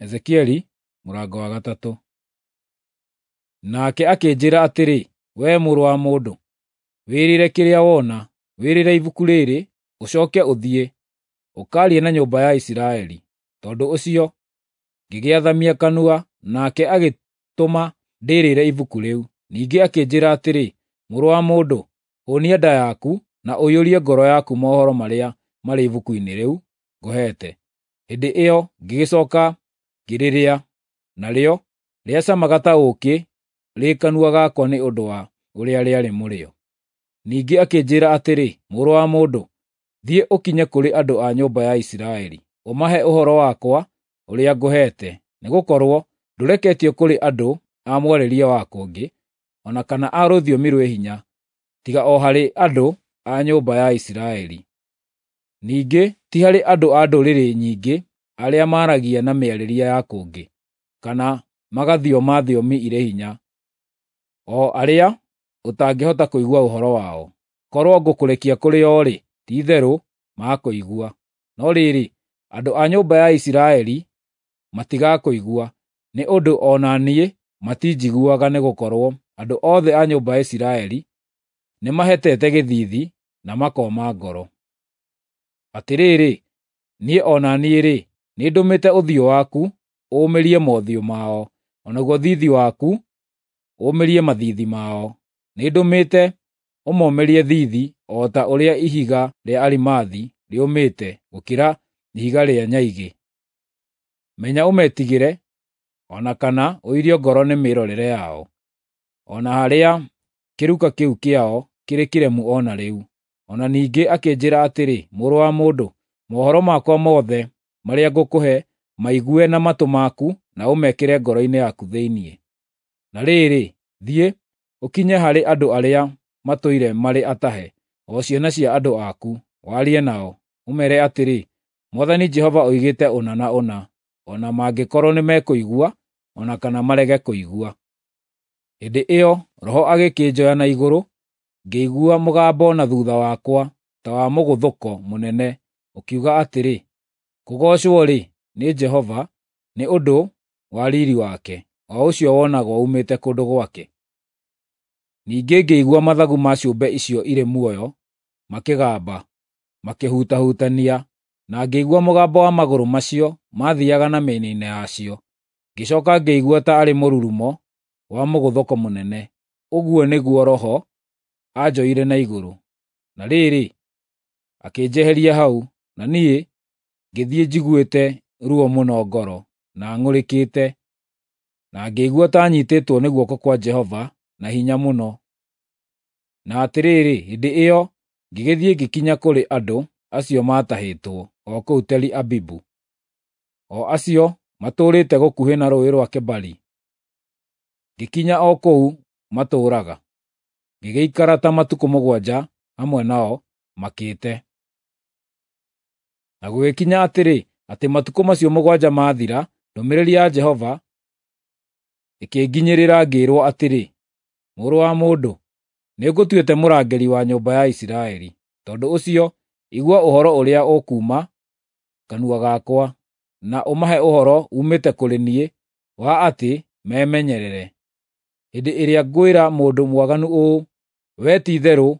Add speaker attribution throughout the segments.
Speaker 1: Ezekieli mũrango wa 3. Nake akĩnjĩĩra atĩrĩ, "Wee mũrũ wa mũndũ, wĩrĩre kĩrĩa wona, wĩrĩre ibuku rĩrĩ, ũcooke ũthiĩ, ũkaarie na nyũmba ya Isiraeli." Tondũ ũcio ngĩgĩathamia kanua, nake agĩtũma ndĩĩrĩre ibuku rĩu. Ningĩ akĩnjĩĩra atĩrĩ, "Mũrũ wa mũndũ, hũũnia nda yaku na ũiyũrie ngoro yaku mohoro marĩa marĩ ibuku-inĩ rĩu ngũheete." Hĩndĩ ĩyo ngĩgĩcooka ngĩrĩrĩa, narĩo rĩacamaga ta ũũkĩ rĩ kanua gakwa nĩ ũndũ wa ũrĩa rĩarĩ mũrĩo. Ningĩ akĩnjĩĩra atĩrĩ, "Mũrũ wa mũndũ, thiĩ ũkinye kũrĩ andũ a nyũmba ya Isiraeli, ũmahe ũhoro wakwa ũrĩa ngũheete, nĩgũkorwo ndũreketio kũrĩ andũ a mwarĩrie wa kũngĩ, o na kana a rũthiomi rwĩ hinya, tiga o harĩ andũ a nyũmba ya Isiraeli. Ningĩ ti harĩ andũ a ndũrĩrĩ nyingĩ arĩa maaragia na mĩarĩrie ya kũngĩ, kana magathioma thiomi irĩ hinya, o arĩa ũtangĩhota kũigua ũhoro wao. Korwo ngũkũrekia kũrĩ o-rĩ, ti-itherũ makũigua. No rĩrĩ, andũ a nyũmba ya Isiraeli matigakũigua, nĩ ũndũ o na niĩ matinjiguaga, nĩgũkorwo andũ othe a nyũmba ya Isiraeli nĩmahetete gĩthiithi na makooma ngoro. Atĩrĩrĩ, niĩ o na niĩ-rĩ, nĩndũmĩte ũthiũ waku ũũmĩrie mothiũ mao, o naguo thiithi waku ũũmĩrie mathiithi mao. Nĩndũmĩte ũmomĩrie thiithi o ta ũrĩa ihiga rĩa arimathi rĩũmĩte gũkĩra ihiga rĩa nyaigĩ. Menya ũmetigĩre, o na kana ũirio ngoro nĩ mĩrorere yao, o na harĩa kĩruka kĩu kĩao kĩrĩ kĩremu o na rĩu. O na ningĩ akĩnjĩĩra atĩrĩ, "Mũrũ wa mũndũ, mohoro makwa mothe marĩa ngũkũhe maigue na matũ maku na ũmekĩre ngoro-inĩ yaku thĩinĩ. Na rĩrĩ, thiĩ, ũkinye harĩ andũ arĩa matũire marĩ atahe, o ciana cia andũ aku, warie nao, ũmeere atĩrĩ, 'Mwathani Jehova oigĩte ũna na ũna,' o na mangĩkorwo nĩmekũigua o na kana marege kũigua." Hĩndĩ ĩyo Roho agĩkĩnjoya na igũrũ, ngĩigua mũgambo na thuutha wakwa ta wa mũgũthũko mũnene, ũkiuga atĩrĩ, "Kũgoocwo-rĩ, nĩ Jehova nĩ ũndũ wa riiri wake, o ũcio wonagwo uumĩte kũndũ gwake." Ningĩ ngĩigua mathagu ma ciũmbe icio irĩ muoyo makĩgamba, makĩhutahutania, na ngĩigua mũgambo wa magũrũ macio maathiiaga na mĩena-inĩ yacio. Ngĩcooka ngĩigua ta arĩ mũrurumo wa mũgũthũko mũnene. Ũguo nĩguo Roho aanjoire na igũrũ. Na rĩrĩ, akĩnjeheria hau, na niĩ ngĩthiĩ njiguĩte ruo mũno ngoro, na ng'ũrĩkĩte, na ngĩigua ta nyiitĩtwo nĩ guoko kwa Jehova na hinya mũno. Na atĩrĩrĩ, hĩndĩ ĩyo ngĩgĩthiĩ ngĩkinya kũrĩ andũ acio maatahĩtwo, o kũu Teli-Abibu, o acio matũũrĩte gũkuhĩ na Rũũĩ rwa Kebari. Ngĩkinya o kũu matũũraga, ngĩgĩikara ta matukũ 7 hamwe nao makĩte. Na gũgĩkinya atĩrĩ, atĩ matukũ macio 7 maathira, ndũmĩrĩri ya Jehova ĩkĩnginyĩrĩra ngĩĩrwo atĩrĩ, "Mũrũ wa mũndũ, nĩngũtuĩte mũrangĩri wa nyũmba ya Isiraeli. Tondũ ũcio igua ũhoro ũrĩa ũkuuma kanua gakwa, na ũmahe ũhoro uumĩte kũrĩ niĩ wa atĩ memenyerere. Hĩndĩ ĩrĩa ngwĩra mũndũ mwaganu ũũ, 'Wee ti-itherũ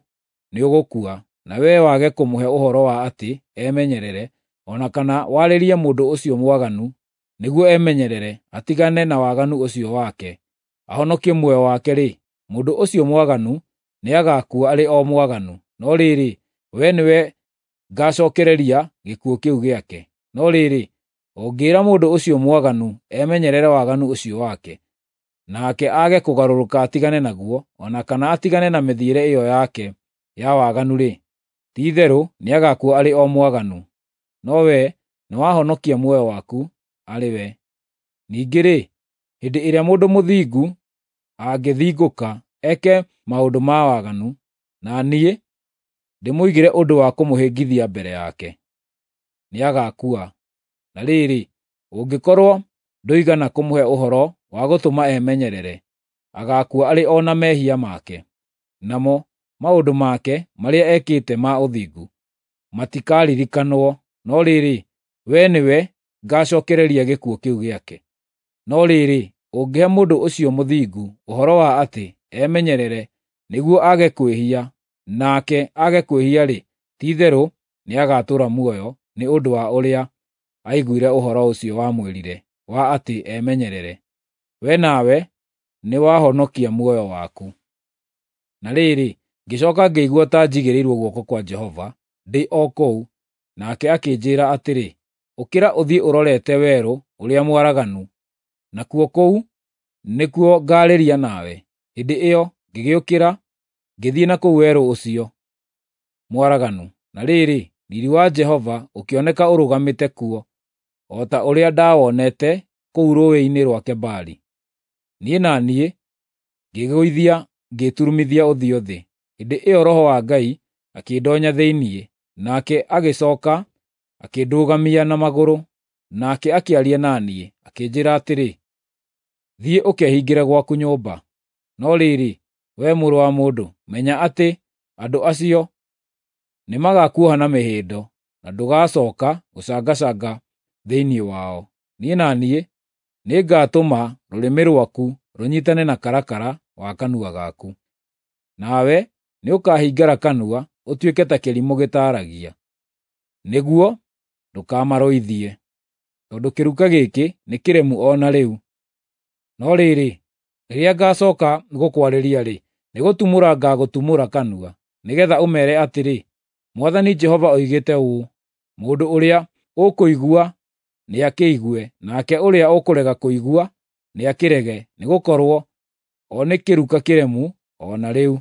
Speaker 1: nĩũgũkua,' na wee wage kũmũhe ũhoro wa atĩ emenyerere, o na kana warĩrie mũndũ ũcio mwaganu nĩguo emenyerere atigane na waganu ũcio wake, ahonokie muoyo wake-rĩ, mũndũ ũcio mwaganu nĩagaakua arĩ o mwaganu, no rĩrĩ, wee nĩwe ngaacookereria gĩkuũ kĩu gĩake. No rĩrĩ, ũngĩĩra mũndũ ũcio mwaganu emenyerere waganu ũcio wake, nake aage kũgarũrũka atigane naguo, o na kana atigane na mĩthiĩre ĩyo yake ya waganu-rĩ, ti-itherũ nĩagaakua arĩ o mwaganu, no wee nĩwahonokia muoyo waku arĩ we. Ningĩ-rĩ, hĩndĩ ĩrĩa mũndũ mũthingu angĩthingũka eke maũndũ ma waganu, na niĩ ndĩmũigĩre ũndũ wa kũmũhĩngithia mbere yake, nĩagaakua. Na rĩrĩ, ũngĩkorwo ndũigana kũmũhe ũhoro wa gũtũma emenyerere, agaakua arĩ o na mehia make, namo maũndũ make marĩa ekĩte ma ũthingu matikaririkanwo, no rĩrĩ, wee nĩwe ngacookereria gĩkuũ kĩu gĩake. No rĩrĩ, ũngĩhe mũndũ ũcio mũthingu ũhoro wa atĩ emenyerere nĩguo aage kwĩhia, nake aage kwĩhia-rĩ, ti-itherũ nĩagatũũra muoyo nĩ ũndũ wa ũrĩa aiguire ũhoro ũcio wamwĩrire wa atĩ emenyerere. We nawe nĩwahonokia muoyo waku. Na rĩrĩ, ngĩcooka ngĩigua ta njigĩrĩirwo guoko kwa Jehova ndĩ o kũu, nake akĩnjĩĩra atĩrĩ, “Ũkĩra ũthiĩ ũrorete werũ ũrĩa mwaraganu, nakuo kũu nĩkuo ngaarĩria nawe.” Hĩndĩ ĩyo ngĩgĩũkĩra ngĩthiĩ na kũu werũ ũcio mwaraganu, na rĩrĩ, riiri wa Jehova ũkĩoneka ũrũgamĩte kuo, o ta ũrĩa ndawonete kũu rũũĩ-inĩ rwa Kebari. Niĩ na niĩ ngĩĩgũithia ngĩturumithia ũthiũ thĩ. Hĩndĩ ĩyo Roho wa Ngai akĩndoonya thĩinĩ, nake agĩcooka akĩndũgamia na magũrũ, nake akĩaria na niĩ, akĩnjĩĩra atĩrĩ, “Thiĩ ũkehingĩre gwaku nyũmba. No rĩrĩ, wee mũrũ wa mũndũ, menya atĩ andũ acio nĩmagakuoha na mĩhĩndo, na ndũgacooka gũcangacanga thĩinĩ wao. Niĩ na niĩ nĩngatũma rũrĩmĩ rwaku rũnyiitane na karakara wa kanua gaku. Nawe nĩũkahingara kanua ũtuĩke ta kĩrimũ gĩtaaragia, nĩguo ndũkamarũithie, tondũ kĩruka gĩkĩ nĩ kĩremu o na rĩu. No rĩrĩ, rĩrĩa ngaacooka gũkwarĩria-rĩ, nĩgũtumũra ngaagũtumũra kanua, nĩgeetha ũmeere atĩrĩ, ‘Mwathani Jehova oigĩte ũũ.’ Mũndũ ũrĩa ũkũigua nĩakĩigue, nake ũrĩa ũkũrega kũigua nĩakĩrege, nĩgũkorwo o nĩ kĩruka kĩremu o na rĩu.”